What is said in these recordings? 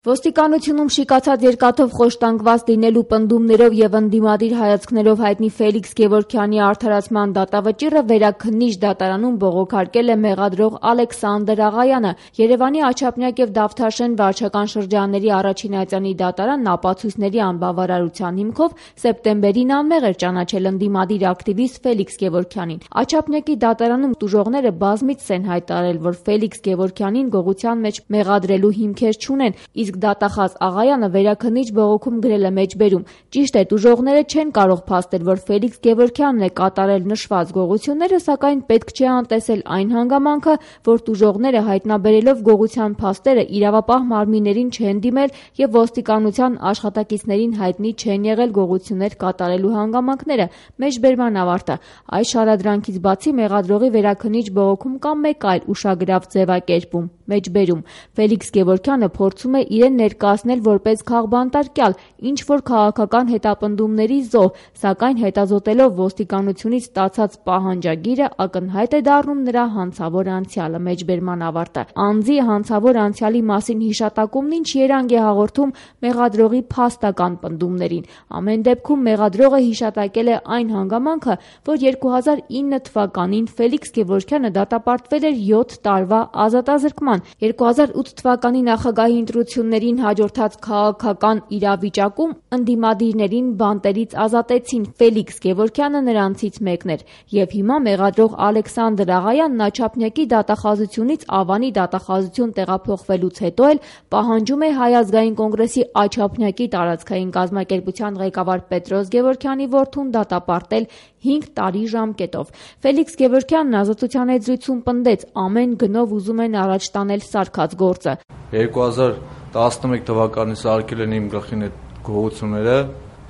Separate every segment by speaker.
Speaker 1: Ոստիկանությունում շիկացած երկաթով խոշտանգված լինելու պնդումներով եւ ընդդիմադիր հայացքներով հայտնի Ֆելիքս Գևորգյանի արդարացման դատավճիռը վերաքննիչ դատարանում բողոքարկել է մեղադրող Ալեքսանդր Աղայանը։ Երևանի Աչափնյակ եւ Դավթաշեն վարչական շրջանների առաջին այցանի դատարանն ապացույցների անբավարարության հիմքով սեպտեմբերին անմեղ էր ճանաչել ընդդիմադիր ակտիվիստ Ֆելիքս Գևորգյանին։ Աչափնյակի դատարանում տուժողները բազմիցս են հայտարարել, որ Ֆելիքս Գևորգյանին գողության մեջ մեղադրելու հիմքեր չունեն, իսկ դատախազ Աղայանը վերաքննիչ բողոքում գրել է մեջբերում. «Ճիշտ է, տուժողները չեն կարող փաստել, որ Ֆելիքս Գևորգյանն է կատարել նշված գողությունները, սակայն պետք չէ անտեսել այն հանգամանքը, որ տուժողները հայտնաբերելով գողության փաստերը իրավապահ մարմիններին չեն դիմել եւ ոստիկանության աշխատակիցներին հայտնի չեն եղել գողություններ կատարելու հանգամանքները»։ Մեջբերման ավարտը։ Այս շարադրանքից բացի մեղադրողի վերաքննիչ բողոքում կա մեկ այլ ուշագրավ ձևակերպում. մեջբերում. «Ֆելիքս Գևորգյանը փորձում է իրեն ներկայացնել որպես քաղբանտարկյալ, ինչ-որ քաղաքական հետապնդումների զոհ, սակայն հետազոտելով ոստիկանությունից ստացած պահանջագիրը ակնհայտ է դառնում նրա հանցավոր անցյալը»։ Մեջբերման ավարտը։ Անձի հանցավոր անցյալի մասին հիշատակումն ինչ երանգ է հաղորդում մեղադրողի փաստական պնդումներին։ Ամեն դեպքում մեղադրողը հիշատակել է այն հանգամանքը, որ 2009 թվականին Ֆելիքս Գևորգյանը դատապարտվել էր 7 տարվա ազատազրկման։ 2008 թվականի նախագահի ընտրություններին հաջորդած քաղաքական իրավիճակում ընդդիմադիրներին բանտերից ազատեցին։ Ֆելիքս Գևորգյանը նրանցից մեկն էր։ Եվ հիմա մեղադրող Ալեքսանդր Աղայանն Աչափնյակի դատախազությունից Ավանի դատախազություն տեղափոխվելուց հետո էլ պահանջում է Հայ ազգային կոնգրեսի Աչափնյակի տարածքային կազմակերպության ղեկավար Պետրոս Գևորգյանի որդուն դատապարտել 5 տարի ժամկետով։ Ֆելիքս Գևորգյանն ազատության հետ զրույցում պնդեց՝ ամեն գնով ուզում են առաջ տանել սարքած գործը։
Speaker 2: 2011 թվականից արկել են իմ գլխին այդ գողությունները,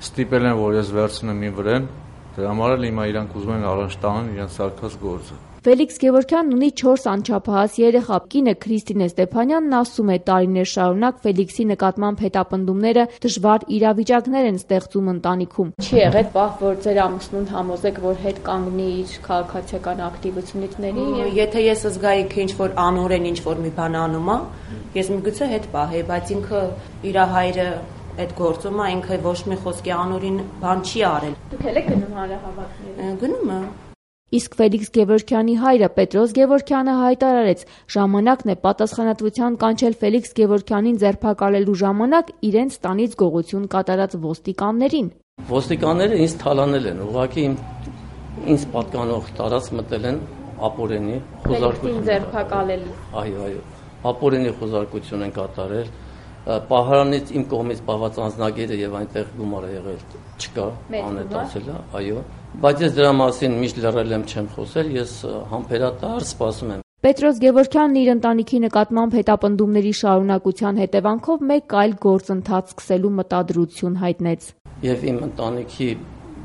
Speaker 2: ստիպել են, որ ես վերցնեմ իմ վրեն, դրա համար էլ հիմա իրանք ուզում են առաջ տանեն իրենց սարքած գործը։
Speaker 1: Ֆելիքս Գևորգյանն ունի 4 անչափահաս երեխա։ Կինը Քրիստինե Ստեփանյանն ասում է՝ տարիներ շարունակ Ֆելիքսի նկատմամբ հետապնդումները դժվար իրավիճակներ են ստեղծում ընտանիքում։ Չի եղել պահ, որ ձեր ամուսնուն համոզեք, որ հետ կանգնի իր քաղաքացիական ակտիվությունների։
Speaker 3: Եթե ես զգայի, թե ինչ-որ անօրեն ինչ-որ մի բան անում է, ես միգուցե հետ պահեի, բայց ինքը իր հայրը այդ գործում է, ինքը ոչ մի խոսքի անօրին բան չի արել։
Speaker 1: Դուք եք գնում հանրահավաքների։
Speaker 3: Գնում եմ։
Speaker 1: Իսկ Ֆելիքս Գևորգյանի հայրը Պետրոս Գևորգյանը հայտարարեց՝ ժամանակն է պատասխանատվության կանչել Ֆելիքս Գևորգյանին ձերբակալելու ժամանակ իրենց տանից գողություն կատարած ոստիկաններին։
Speaker 4: Ոստիկանները ինձ թալանել են, ուղղակի ինձ պատկանող տարած մտել են ապօրինի խոզարկություն
Speaker 1: ձերբակալել։
Speaker 4: Այո, ապօրինի խոզարկություն են կատարել։ Պահարանից իմ կողմից պահված անձնագիրը եւ այնտեղ գումարը եղել չկա, անհետացել է, այո, բայց ես դրա մասին միշտ լռել եմ, չեմ խոսել, ես համբերատար սպասում եմ։
Speaker 1: Պետրոս Գևորգյանն իր ընտանիքի նկատմամբ հետապնդումների շարունակության հետևանքով մեկ այլ գործընթաց սկսելու մտադրություն հայտնեց։
Speaker 4: Եվ իմ ընտանիքի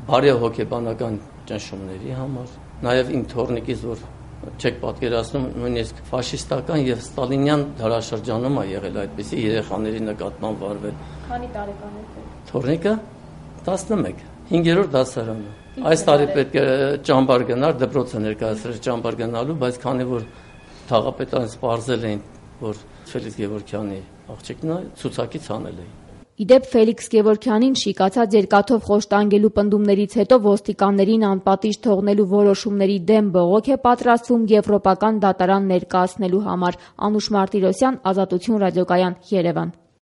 Speaker 4: բարեհոգեբանական ճնշումների համար, նաեւ իմ թորնիկից, որ չեք պատկերացնում, նույնիսկ ֆաշիստական եւ ստալինյան դարաշրջանում է եղել այդպիսի երեխաների նկատմամբ վարվել։
Speaker 1: Քանի տարեկան եք։
Speaker 4: Թորնիկը 11, 5-րդ դասարանը։ Այս տարի պետք է ճամբար գնար, դպրոց է ներկայացրել ճամբար գնալու, բայց քանի որ թաղապետարան սպառզել էին, որ Ֆելիքս Գևորգյանի աղջիկն է, ցուցակից հանել էին։
Speaker 1: Իդեպ Ֆելիքս Գևորգյանին շիկացած երկաթով խոշտանգելու պնդումներից հետո ոստիկաններին անպատիժ թողնելու որոշումների դեմ բողոք է պատրաստվում Եվրոպական դատարան ներկայացնելու համար։ Անուշ Մարտիրոսյան, Ազատություն ռադիոկայան, Երևան։